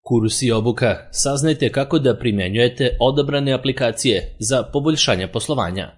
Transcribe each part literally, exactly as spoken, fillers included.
Kurs i obuka. Saznajte kako da primjenjujete odabrane aplikacije za poboljšanje poslovanja.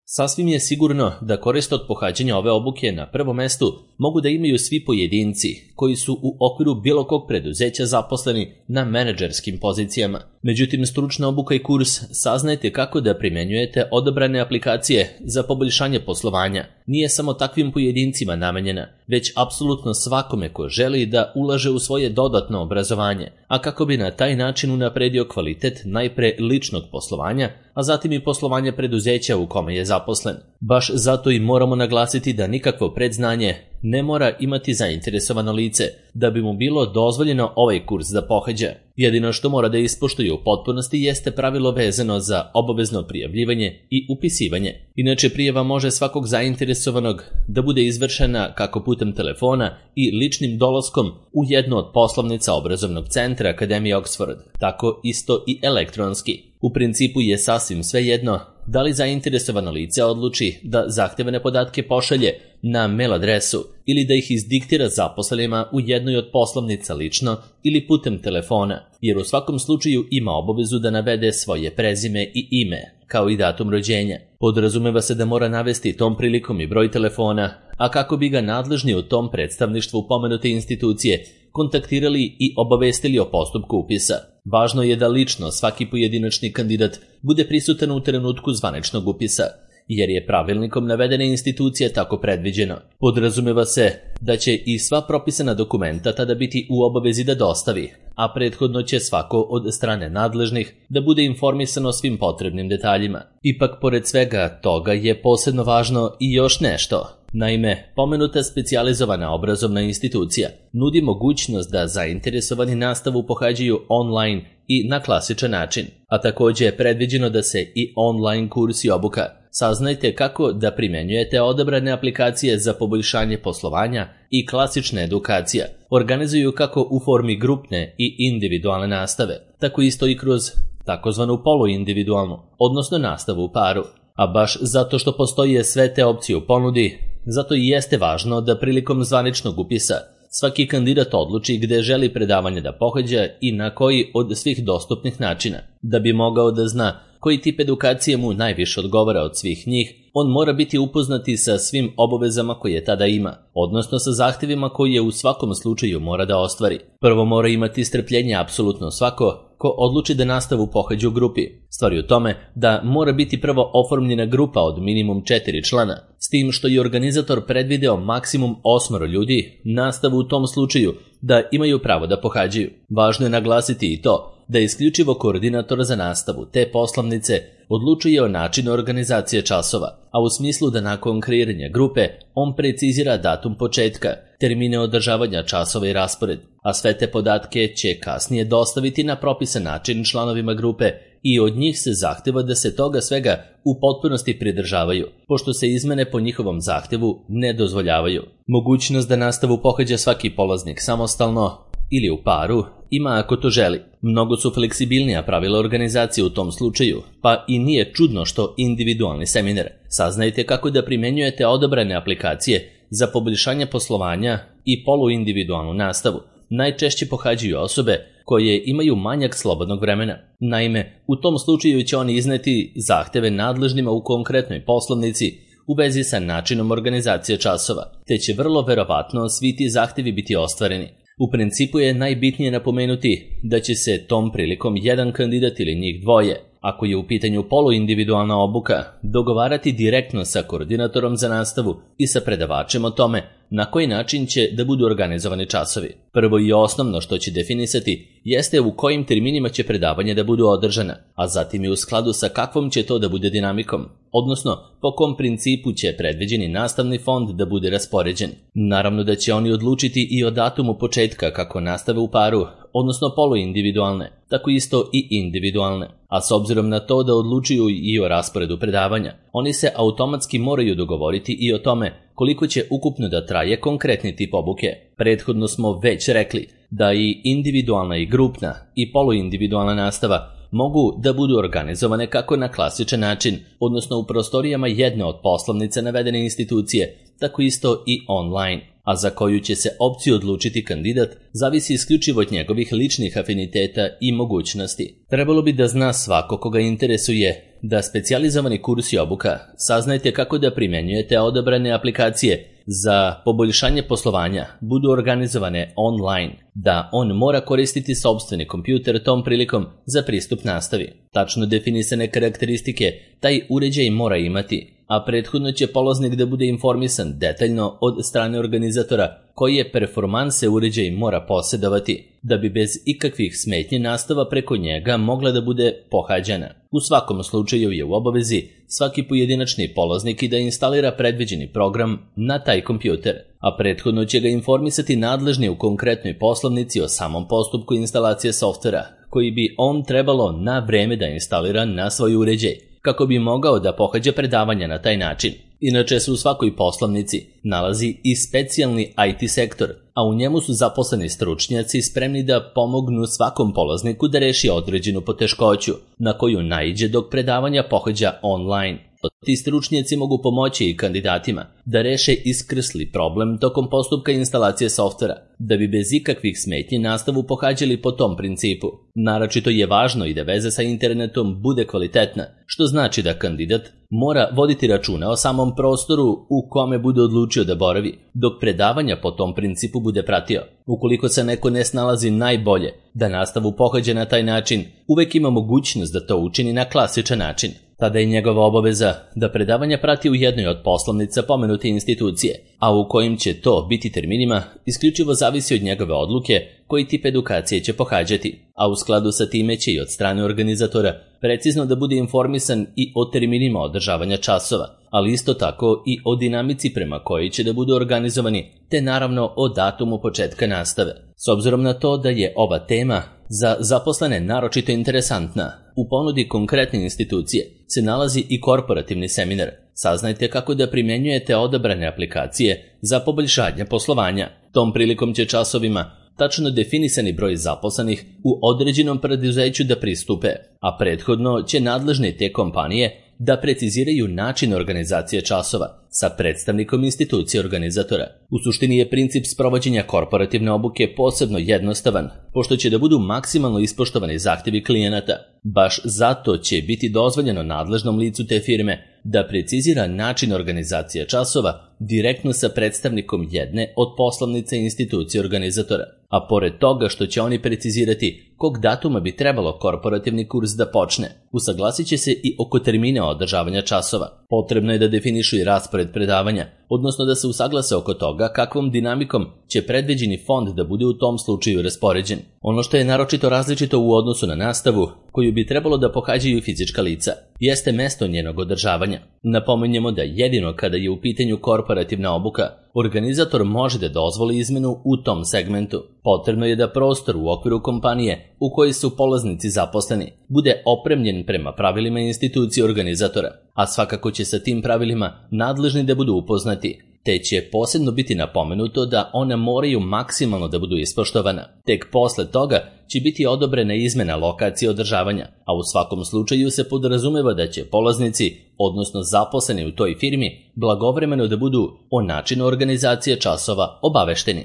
Sasvim je sigurno da korist od pohađanja ove obuke na prvom mestu mogu da imaju svi pojedinci koji su u okviru bilo kog preduzeća zaposleni na menadžerskim pozicijama. Međutim, stručna obuka i kurs Saznajte kako da primjenjujete odabrane aplikacije za poboljšanje poslovanja nije samo takvim pojedincima namenjena, već apsolutno svakome ko želi da ulaže u svoje dodatno obrazovanje, a kako bi na taj način unapredio kvalitet najpre ličnog poslovanja, a zatim i poslovanja preduzeća u kome je zaposlen. Baš zato i moramo naglasiti da nikakvo predznanje ne mora imati zainteresovano lice da bi mu bilo dozvoljeno ovaj kurs da pohađa. Jedino što mora da ispoštuje u potpunosti jeste pravilo vezano za obavezno prijavljivanje i upisivanje. Inače, prijava može svakog zainteresovanog da bude izvršena kako putem telefona i ličnim dolaskom u jednu od poslovnica obrazovnog centra Akademije Oxford, tako isto i elektronski. U principu je sasvim svejedno da li zainteresovano lice odluči da zahtevane podatke pošalje na mail adresu ili da ih izdiktira zaposlenima u jednoj od poslovnica lično ili putem telefona, jer u svakom slučaju ima obavezu da navede svoje prezime i ime, kao i datum rođenja. Podrazumeva se da mora navesti tom prilikom i broj telefona, a kako bi ga nadležni u tom predstavništvu pomenute institucije kontaktirali i obavestili o postupku upisa. Važno je da lično svaki pojedinačni kandidat bude prisutan u trenutku zvaničnog upisa, jer je pravilnikom navedene institucije tako predviđeno. Podrazumeva se da će i sva propisana dokumenta tada biti u obavezi da dostavi, a prethodno će svako od strane nadležnih da bude informisan o svim potrebnim detaljima. Ipak, pored svega toga je posebno važno i još nešto. Naime, pomenuta specijalizovana obrazovna institucija nudi mogućnost da zainteresovani nastavu pohađaju online i na klasičan način, a također je predviđeno da se i online kurs i obuka Saznajte kako da primjenjujete odabrane aplikacije za poboljšanje poslovanja i klasična edukacija organizuju kako u formi grupne i individualne nastave, tako isto i kroz takozvanu poluindividualnu, odnosno nastavu u paru. A baš zato što postoje sve te opcije u ponudi, zato i jeste važno da prilikom zvaničnog upisa svaki kandidat odluči gde želi predavanje da pohađa i na koji od svih dostupnih načina. Da bi mogao da zna koji tip edukacije mu najviše odgovara od svih njih, on mora biti upoznati sa svim obavezama koje tada ima, odnosno sa zahtevima koje u svakom slučaju mora da ostvari. Prvo mora imati strpljenje apsolutno svako ko odluči da nastavu pohađa u grupi. Stvar je u tome da mora biti prvo oformljena grupa od minimum četiri člana, s tim što je organizator predvideo maksimum osmoro ljudi, nastavu u tom slučaju da imaju pravo da pohađaju. Važno je naglasiti i to da isključivo koordinator za nastavu te poslovnice odlučuje o načinu organizacije časova, a u smislu da nakon kreiranja grupe on precizira datum početka, termine održavanja časova i raspored, a sve te podatke će kasnije dostaviti na propisan način članovima grupe i od njih se zahteva da se toga svega u potpunosti pridržavaju, pošto se izmene po njihovom zahtevu ne dozvoljavaju. Mogućnost da nastavu pohađa svaki polaznik samostalno ili u paru ima ako to želi. Mnogo su fleksibilnija pravila organizacije u tom slučaju, pa i nije čudno što individualni seminar Saznajte kako da primjenjujete odabrane aplikacije za poboljšanje poslovanja i poluindividualnu nastavu najčešće pohađaju osobe koje imaju manjak slobodnog vremena. Naime, u tom slučaju će oni izneti zahteve nadležnima u konkretnoj poslovnici u vezi sa načinom organizacije časova, te će vrlo verovatno svi ti zahtevi biti ostvareni. U principu je najbitnije napomenuti da će se tom prilikom jedan kandidat ili njih dvoje, ako je u pitanju poluindividualna obuka, dogovarati direktno sa koordinatorom za nastavu i sa predavačem o tome na koji način će da budu organizovani časovi. Prvo i osnovno što će definisati jeste u kojim terminima će predavanje da budu održana, a zatim i u skladu sa kakvom će to da bude dinamikom, odnosno po kom principu će predviđeni nastavni fond da bude raspoređen. Naravno da će oni odlučiti i o datumu početka kako nastave u paru, odnosno poluindividualne, tako isto i individualne. A s obzirom na to da odlučuju i o rasporedu predavanja, oni se automatski moraju dogovoriti i o tome koliko će ukupno da traje konkretni tip obuke. Prethodno smo već rekli da i individualna i grupna i poluindividualna nastava mogu da budu organizovane kako na klasičan način, odnosno u prostorijama jedne od poslovnica navedene institucije, tako isto i online. a za koju će se opciju odlučiti kandidat zavisi isključivo od njegovih ličnih afiniteta i mogućnosti. Trebalo bi da zna svako koga interesuje da specijalizovani kurs i obuka saznajte kako da primjenjujete odabrane aplikacije za poboljšanje poslovanja budu organizovane online, da on mora koristiti sopstveni kompjuter tom prilikom za pristup nastavi. Tačno definisane karakteristike taj uređaj mora imati, a prethodno će polaznik da bude informisan detaljno od strane organizatora koje performanse uređaj mora posjedovati, da bi bez ikakvih smetnji nastava preko njega mogla da bude pohađana. U svakom slučaju je u obavezi svaki pojedinačni polaznik i da instalira predviđeni program na taj kompjuter, a prethodno će ga informisati nadležni u konkretnoj poslovnici o samom postupku instalacije softvera, koji bi on trebalo na vreme da instalira na svoj uređaj, kako bi mogao da pohađa predavanja na taj način. Inače se u svakoj poslovnici nalazi i specijalni I T sektor, a u njemu su zaposleni stručnjaci spremni da pomognu svakom polazniku da reši određenu poteškoću na koju naiđe dok predavanja pohađa online. Ti stručnjaci mogu pomoći i kandidatima da reše iskrsli problem tokom postupka instalacije softvera, da bi bez ikakvih smetnji nastavu pohađali po tom principu. Naročito je važno i da veza sa internetom bude kvalitetna, što znači da kandidat mora voditi računa o samom prostoru u kome bude odlučio da boravi, dok predavanja po tom principu bude pratio. Ukoliko se neko ne snalazi najbolje da nastavu pohađa na taj način, uvek ima mogućnost da to učini na klasičan način. Tada je njegova obaveza da predavanja prati u jednoj od poslovnica pomenute institucije, a u kojim će to biti terminima isključivo zavisi od njegove odluke koji tip edukacije će pohađati, a u skladu sa time će i od strane organizatora precizno da bude informisan i o terminima održavanja časova, ali isto tako i o dinamici prema kojoj će da budu organizovani, te naravno o datumu početka nastave. S obzirom na to da je ova tema za zaposlene naročito interesantna, u ponudi konkretne institucije se nalazi i korporativni seminar. Saznajte kako da primjenjujete odabrane aplikacije za poboljšanje poslovanja. Tom prilikom će časovima tačno definisani broj zaposlenih u određenom preduzeću da pristupe, a prethodno će nadležni te kompanije da preciziraju način organizacije časova sa predstavnikom institucije organizatora. U suštini je princip sprovođenja korporativne obuke posebno jednostavan, pošto će da budu maksimalno ispoštovani zahtjevi klijenata. Baš zato će biti dozvoljeno nadležnom licu te firme da precizira način organizacije časova direktno sa predstavnikom jedne od poslovnice institucije organizatora. A pored toga što će oni precizirati kog datuma bi trebalo korporativni kurs da počne, usaglasit će se i oko termina održavanja časova. Potrebno je da definišu i raspored predavanja, odnosno da se usaglase oko toga kakvom dinamikom će predviđeni fond da bude u tom slučaju raspoređen. Ono što je naročito različito u odnosu na nastavu, koju bi trebalo da pohađaju fizička lica, jeste mesto njenog održavanja. Napominjemo da jedino kada je u pitanju korporativna obuka, organizator može da dozvoli izmenu u tom segmentu. Potrebno je da prostor u okviru kompanije u kojoj su polaznici zaposleni bude opremljen prema pravilima institucije organizatora, a svakako će sa tim pravilima nadležni da budu upoznati, te će posebno biti napomenuto da ona moraju maksimalno da budu ispoštovana. Tek posle toga će biti odobrena izmena lokacije održavanja, a u svakom slučaju se podrazumeva da će polaznici, odnosno zaposleni u toj firmi, blagovremeno da budu o načinu organizacije časova obavešteni.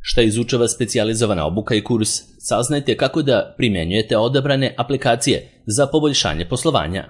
Šta izučava specijalizovana obuka i kurs? Saznajte kako da primjenjujete odabrane aplikacije za poboljšanje poslovanja.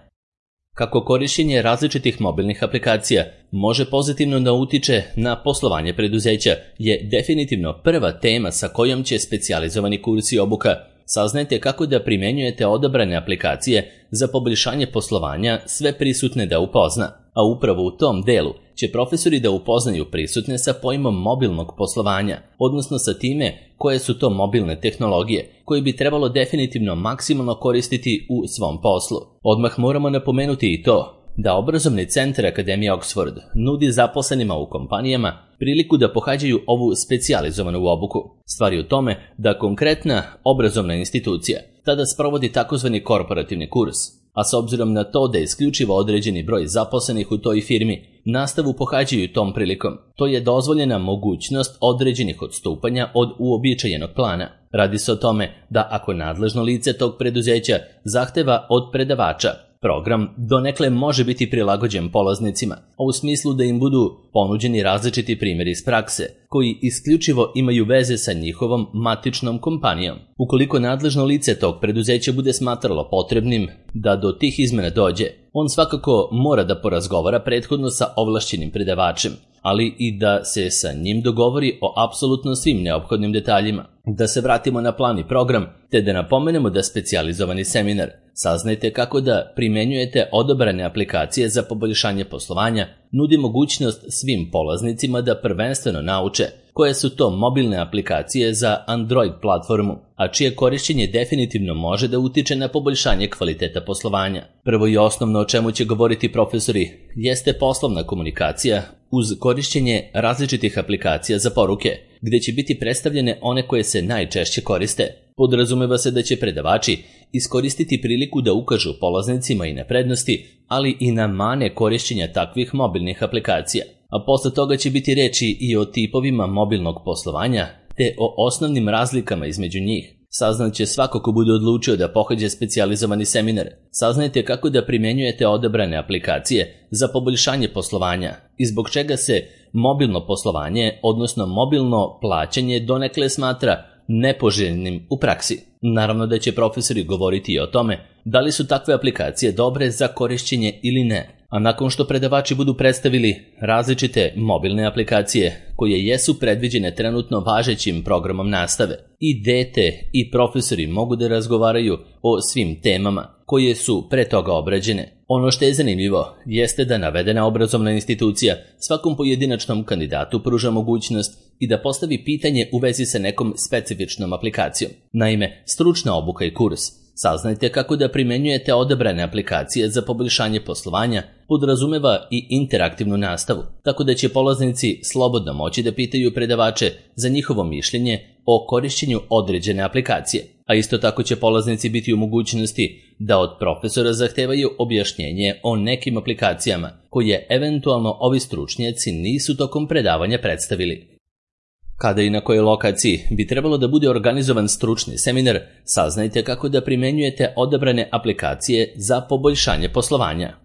Kako korišćenje različitih mobilnih aplikacija može pozitivno da utiče na poslovanje preduzeća je definitivno prva tema sa kojom će specijalizovani kurs i obuka. Saznajte kako da primjenjujete odabrane aplikacije za poboljšanje poslovanja sve prisutne da upozna, a upravo u tom delu će profesori da upoznaju prisutne sa pojmom mobilnog poslovanja, odnosno sa time koje su to mobilne tehnologije koje bi trebalo definitivno maksimalno koristiti u svom poslu. Odmah moramo napomenuti i to da obrazovni centar Akademije Oxford nudi zaposlenima u kompanijama priliku da pohađaju ovu specijalizovanu obuku. Stvar je u tome da konkretna obrazovna institucija tada sprovodi takozvani korporativni kurs, a s obzirom na to da je isključivo određeni broj zaposlenih u toj firmi, nastavu pohađaju tom prilikom. To je dozvoljena mogućnost određenih odstupanja od uobičajenog plana. Radi se o tome da ako nadležno lice tog preduzeća zahteva od predavača Program donekle može biti prilagođen polaznicima, a u smislu da im budu ponuđeni različiti primjeri iz prakse, koji isključivo imaju veze sa njihovom matičnom kompanijom. Ukoliko nadležno lice tog preduzeća bude smatralo potrebnim da do tih izmena dođe, on svakako mora da porazgovara prethodno sa ovlašćenim predavačem, ali i da se sa njim dogovori o apsolutno svim neophodnim detaljima. Da se vratimo na plan i program, te da napomenemo da specijalizovani seminar Saznajte kako da primenjujete odabrane aplikacije za poboljšanje poslovanja nudi mogućnost svim polaznicima da prvenstveno nauče koje su to mobilne aplikacije za Android platformu, a čije korišćenje definitivno može da utiče na poboljšanje kvaliteta poslovanja. Prvo i osnovno o čemu će govoriti profesori jeste poslovna komunikacija uz korišćenje različitih aplikacija za poruke, gde će biti predstavljene one koje se najčešće koriste. Podrazumeva se da će predavači iskoristiti priliku da ukažu polaznicima i na prednosti, ali i na mane korišćenja takvih mobilnih aplikacija. A posle toga će biti reči i o tipovima mobilnog poslovanja, te o osnovnim razlikama između njih. Saznaće svako ko bude odlučio da pohađa specijalizovani seminar. Saznajte kako da primenjujete odabrane aplikacije za poboljšanje poslovanja i zbog čega se mobilno poslovanje, odnosno mobilno plaćanje, donekle smatra nepoželjnim u praksi. Naravno da će profesori govoriti i o tome da li su takve aplikacije dobre za korišćenje ili ne. A nakon što predavači budu predstavili različite mobilne aplikacije koje jesu predviđene trenutno važećim programom nastave, i dete i profesori mogu da razgovaraju o svim temama koje su pre toga obrađene. Ono što je zanimljivo jeste da navedena obrazovna institucija svakom pojedinačnom kandidatu pruža mogućnost i da postavi pitanje u vezi sa nekom specifičnom aplikacijom. Naime, stručna obuka i kurs Saznajte kako da primenjujete odabrane aplikacije za poboljšanje poslovanja podrazumeva i interaktivnu nastavu, tako da će polaznici slobodno moći da pitaju predavače za njihovo mišljenje o korišćenju određene aplikacije, a isto tako će polaznici biti u mogućnosti da od profesora zahtevaju objašnjenje o nekim aplikacijama koje eventualno ovi stručnjaci nisu tokom predavanja predstavili. Kada i na kojoj lokaciji bi trebalo da bude organizovan stručni seminar, saznajte kako da primenjujete odabrane aplikacije za poboljšanje poslovanja.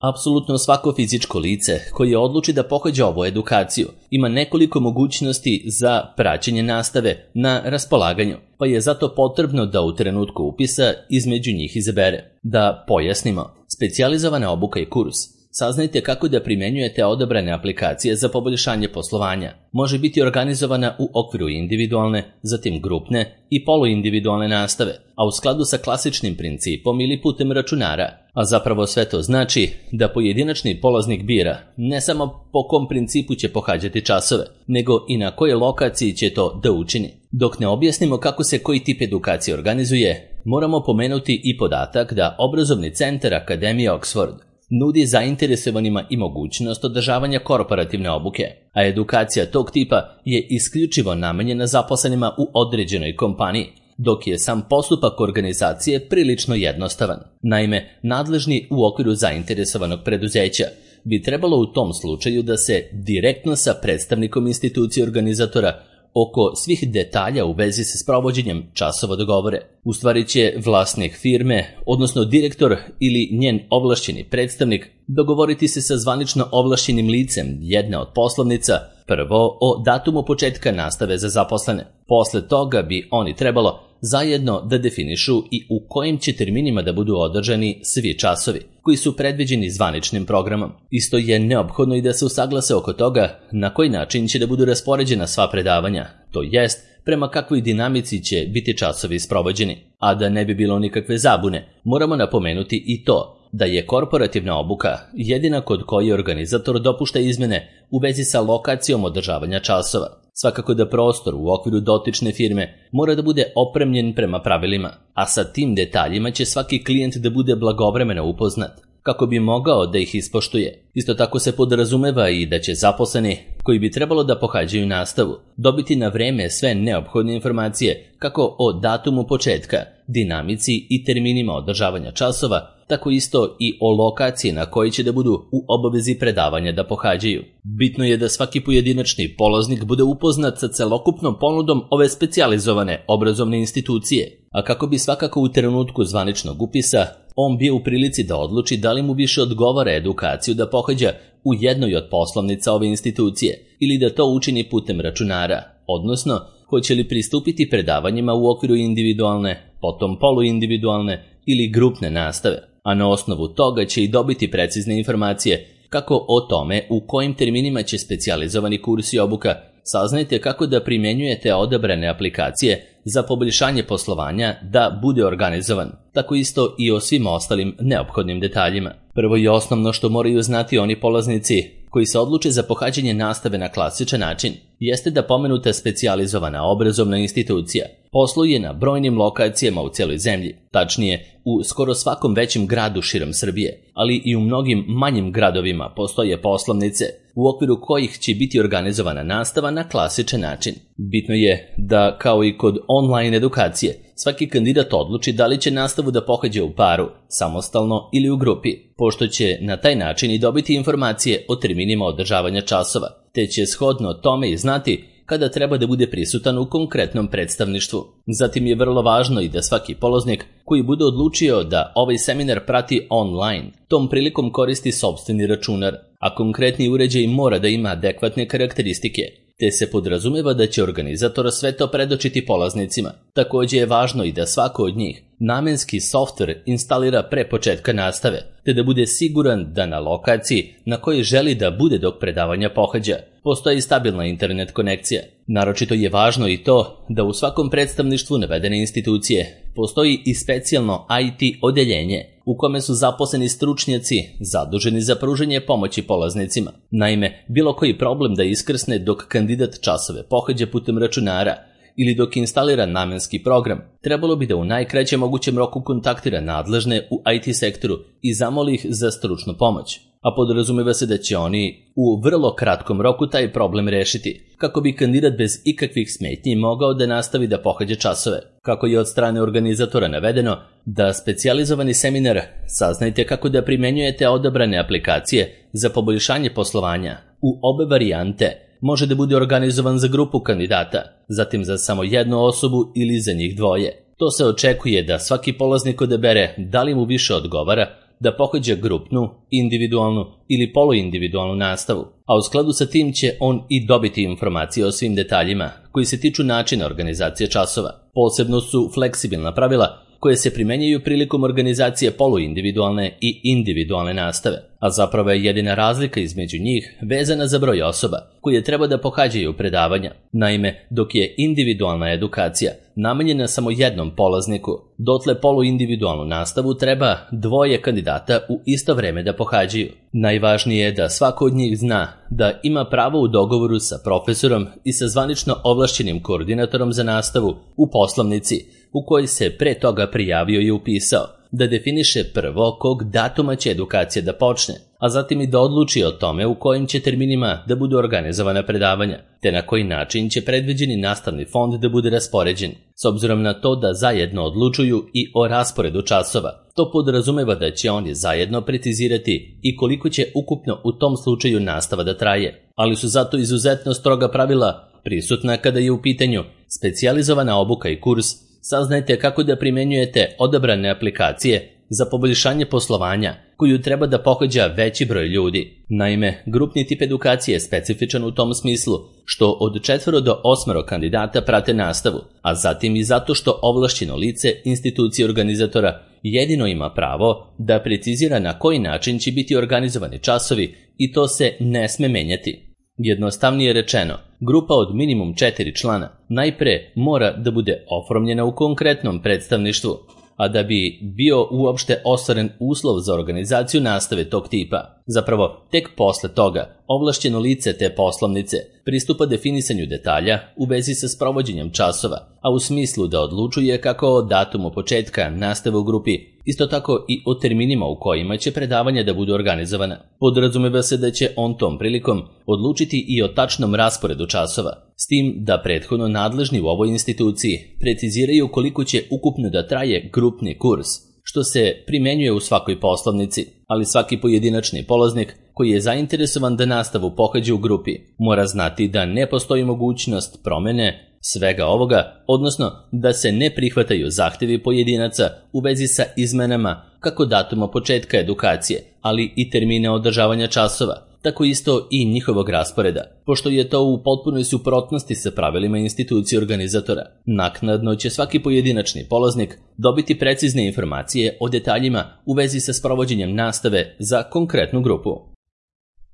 Apsolutno svako fizičko lice koje odluči da pohađa ovu edukaciju ima nekoliko mogućnosti za praćenje nastave na raspolaganju, pa je zato potrebno da u trenutku upisa između njih izabere. Da pojasnimo, specijalizovana obuka i kurs Saznajte kako da primenjujete odabrane aplikacije za poboljšanje poslovanja. Može biti organizovana u okviru individualne, zatim grupne i poluindividualne nastave, a u skladu sa klasičnim principom ili putem računara. A zapravo sve to znači da pojedinačni polaznik bira ne samo po kom principu će pohađati časove, nego i na kojoj lokaciji će to da učini. Dok ne objasnimo kako se koji tip edukacije organizuje, moramo pomenuti i podatak da obrazovni centar Akademije Oxford nudi zainteresovanima i mogućnost održavanja korporativne obuke, a edukacija tog tipa je isključivo namenjena zaposlenima u određenoj kompaniji, dok je sam postupak organizacije prilično jednostavan. Naime, nadležni u okviru zainteresovanog preduzeća bi trebalo u tom slučaju da se direktno sa predstavnikom institucije organizatora oko svih detalja u vezi sa sprovođenjem časova dogovore. U stvari će vlasnik firme, odnosno direktor ili njen ovlašćeni predstavnik, dogovoriti se sa zvanično ovlašćenim licem jedne od poslovnica, prvo o datumu početka nastave za zaposlene. Posle toga bi oni trebalo zajedno da definišu i u kojim će terminima da budu održani svi časovi koji su predviđeni zvaničnim programom. Isto je neophodno i da se usaglase oko toga na koji način će da budu raspoređena sva predavanja, to jest prema kakvoj dinamici će biti časovi sprovođeni. A da ne bi bilo nikakve zabune, moramo napomenuti i to da je korporativna obuka jedina kod koje organizator dopušta izmene u vezi sa lokacijom održavanja časova. Svakako da prostor u okviru dotične firme mora da bude opremljen prema pravilima, a sa tim detaljima će svaki klijent da bude blagovremeno upoznat, kako bi mogao da ih ispoštuje. Isto tako se podrazumeva i da će zaposleni, koji bi trebalo da pohađaju nastavu, dobiti na vreme sve neophodne informacije kako o datumu početka, dinamici i terminima održavanja časova, tako isto i o lokaciji na kojoj će da budu u obavezi predavanja da pohađaju. Bitno je da svaki pojedinačni polaznik bude upoznat sa celokupnom ponudom ove specijalizovane obrazovne institucije, a kako bi svakako u trenutku zvaničnog upisa on bio u prilici da odluči da li mu više odgovara edukaciju da pohađa u jednoj od poslovnica ove institucije ili da to učini putem računara, odnosno hoće li pristupiti predavanjima u okviru individualne, potom poluindividualne ili grupne nastave, a na osnovu toga će i dobiti precizne informacije kako o tome u kojim terminima će specijalizovani kurs i obuka. Saznajte kako da primjenjujete odabrane aplikacije za poboljšanje poslovanja da bude organizovan, tako isto i o svim ostalim neophodnim detaljima. Prvo i osnovno što moraju znati oni polaznici koji se odluče za pohađanje nastave na klasičan način jeste da pomenuta specijalizovana obrazovna institucija posluje na brojnim lokacijama u cijeloj zemlji, tačnije u skoro svakom većem gradu širom Srbije, ali i u mnogim manjim gradovima postoje poslovnice u okviru kojih će biti organizovana nastava na klasičan način. Bitno je da, kao i kod online edukacije, svaki kandidat odluči da li će nastavu da pohađa u paru, samostalno ili u grupi, pošto će na taj način i dobiti informacije o terminima održavanja časova, te će shodno tome i znati kada treba da bude prisutan u konkretnom predstavništvu. Zatim je vrlo važno i da svaki polaznik koji bude odlučio da ovaj seminar prati online, tom prilikom koristi sopstveni računar, a konkretni uređaj mora da ima adekvatne karakteristike, te se podrazumeva da će organizator sve to predočiti polaznicima. Također je važno i da svako od njih namenski softver instalira pre početka nastave, te da bude siguran da na lokaciji na kojoj želi da bude dok predavanja pohađa postoji stabilna internet konekcija. Naročito je važno i to da u svakom predstavništvu navedene institucije postoji i specijalno I T odeljenje u kome su zaposleni stručnjaci zaduženi za pružanje pomoći polaznicima. Naime, bilo koji problem da iskrsne dok kandidat časove pohađa putem računara ili dok instalira namenski program, trebalo bi da u najkraćem mogućem roku kontaktira nadležne u I T sektoru i zamoli ih za stručnu pomoć, a podrazumeva se da će oni u vrlo kratkom roku taj problem rešiti, kako bi kandidat bez ikakvih smetnji mogao da nastavi da pohađa časove. Kako je od strane organizatora navedeno da specijalizovani seminar saznajte kako da primenjujete odabrane aplikacije za poboljšanje poslovanja u obe varijante može da bude organizovan za grupu kandidata, zatim za samo jednu osobu ili za njih dvoje. To se očekuje da svaki polaznik odabere da li mu više odgovara da pohađa grupnu, individualnu ili poluindividualnu nastavu, a u skladu sa tim će on i dobiti informacije o svim detaljima koji se tiču načina organizacije časova. Posebno su fleksibilna pravila koje se primenjaju prilikom organizacije poluindividualne i individualne nastave, a zapravo je jedina razlika između njih vezana za broj osoba koje treba da pohađaju predavanja. Naime, dok je individualna edukacija namenjena samo jednom polazniku, dotle poluindividualnu nastavu treba dvoje kandidata u isto vreme da pohađaju. Najvažnije je da svako od njih zna da ima pravo u dogovoru sa profesorom i sa zvanično ovlašćenim koordinatorom za nastavu u poslovnici u kojoj se pre toga prijavio i upisao, da definiše prvo kog datuma će edukacija da počne, a zatim i da odluči o tome u kojim će terminima da budu organizovana predavanja, te na koji način će predviđeni nastavni fond da bude raspoređen. S obzirom na to da zajedno odlučuju i o rasporedu časova, to podrazumeva da će oni zajedno precizirati i koliko će ukupno u tom slučaju nastava da traje, ali su zato izuzetno stroga pravila prisutna kada je u pitanju specijalizovana obuka i kurs. Saznajte kako da primenjujete odabrane aplikacije za poboljšanje poslovanja koju treba da pohađa veći broj ljudi. Naime, grupni tip edukacije je specifičan u tom smislu što od četvoro do osmero kandidata prate nastavu, a zatim i zato što ovlašćeno lice institucije organizatora jedino ima pravo da precizira na koji način će biti organizovani časovi i to se ne sme menjati. Jednostavnije rečeno, grupa od minimum četiri člana najpre mora da bude oformljena u konkretnom predstavništvu, a da bi bio uopšte ostvaren uslov za organizaciju nastave tog tipa. Zapravo, tek posle toga, ovlašćeno lice te poslovnice pristupa definisanju detalja u vezi sa sprovođenjem časova, a u smislu da odlučuje kako o datumu početka nastave u grupi, isto tako i o terminima u kojima će predavanja da budu organizovana. Podrazumeva se da će on tom prilikom odlučiti i o tačnom rasporedu časova, s tim da prethodno nadležni u ovoj instituciji preciziraju koliko će ukupno da traje grupni kurs, što se primenjuje u svakoj poslovnici, ali svaki pojedinačni polaznik koji je zainteresovan da nastavu pohađa u grupi mora znati da ne postoji mogućnost promene svega ovoga, odnosno da se ne prihvataju zahtevi pojedinaca u vezi sa izmenama kako datuma početka edukacije, ali i termine održavanja časova, tako isto i njihovog rasporeda, pošto je to u potpunoj suprotnosti sa pravilima institucije organizatora. Naknadno će svaki pojedinačni polaznik dobiti precizne informacije o detaljima u vezi sa sprovođenjem nastave za konkretnu grupu.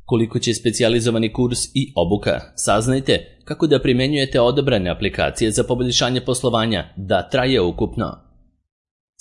Koliko će specijalizovani kurs i obuka, saznajte kako da primenjujete odabrane aplikacije za poboljšanje poslovanja da traje ukupno.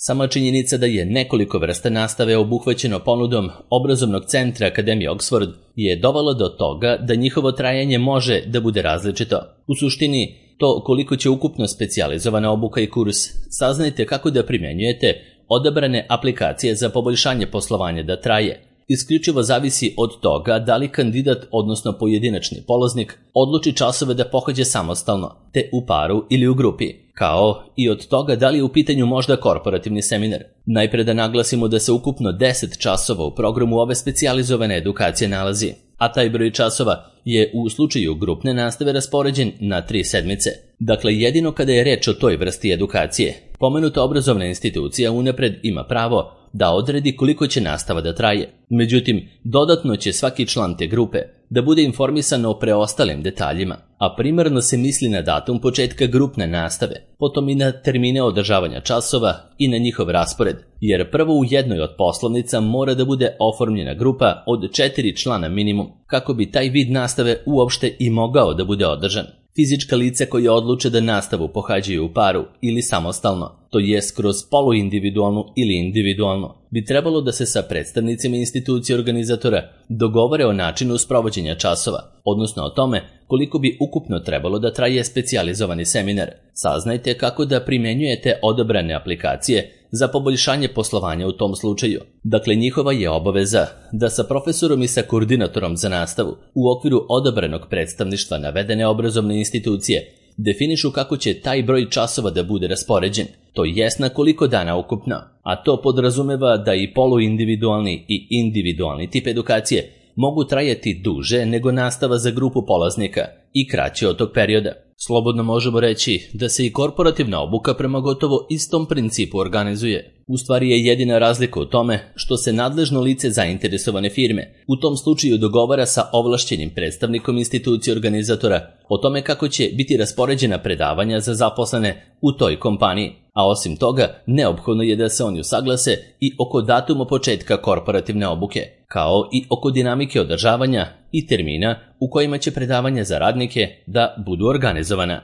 Sama činjenica da je nekoliko vrsta nastave obuhvaćeno ponudom obrazovnog centra Akademije Oxford je dovelo do toga da njihovo trajanje može da bude različito. U suštini, to koliko će ukupno specijalizovana obuka i kurs, saznajte kako da primenjujete odabrane aplikacije za poboljšanje poslovanja da traje. Isključivo zavisi od toga da li kandidat, odnosno pojedinačni polaznik, odluči časove da pohađa samostalno, te u paru ili u grupi, kao i od toga da li je u pitanju možda korporativni seminar. Najpre da naglasimo da se ukupno deset časova u programu ove specijalizovane edukacije nalazi, a taj broj časova je u slučaju grupne nastave raspoređen na tri sedmice. Dakle, jedino kada je reč o toj vrsti edukacije, pomenuta obrazovna institucija unapred ima pravo da odredi koliko će nastava da traje. Međutim, dodatno će svaki član te grupe da bude informisan o preostalim detaljima, a primarno se misli na datum početka grupne nastave, potom i na termine održavanja časova i na njihov raspored, jer prvo u jednoj od poslovnica mora da bude oformljena grupa od četiri člana minimum, kako bi taj vid nastave uopšte i mogao da bude održan. Fizička lica koje odluče da nastavu pohađaju u paru ili samostalno, to jest kroz poluindividualnu ili individualno, bi trebalo da se sa predstavnicima institucije organizatora dogovore o načinu sprovođenja časova, odnosno o tome koliko bi ukupno trebalo da traje specijalizovani seminar. Saznajte kako da primenjujete odabrane aplikacije za poboljšanje poslovanja u tom slučaju. Dakle, njihova je obaveza da sa profesorom i sa koordinatorom za nastavu u okviru odabranog predstavništva navedene obrazovne institucije definišu kako će taj broj časova da bude raspoređen, to jest na koliko dana ukupno, a to podrazumeva da i poluindividualni i individualni tip edukacije mogu trajati duže nego nastava za grupu polaznika i kraće od tog perioda. Slobodno možemo reći da se i korporativna obuka prema gotovo istom principu organizuje. U stvari je jedina razlika u tome što se nadležno lice zainteresovane firme u tom slučaju dogovara sa ovlašćenim predstavnikom institucije organizatora o tome kako će biti raspoređena predavanja za zaposlene u toj kompaniji, a osim toga neophodno je da se oni usaglase i oko datuma početka korporativne obuke, kao i oko dinamike održavanja i termina u kojima će predavanja za radnike da budu organizovana.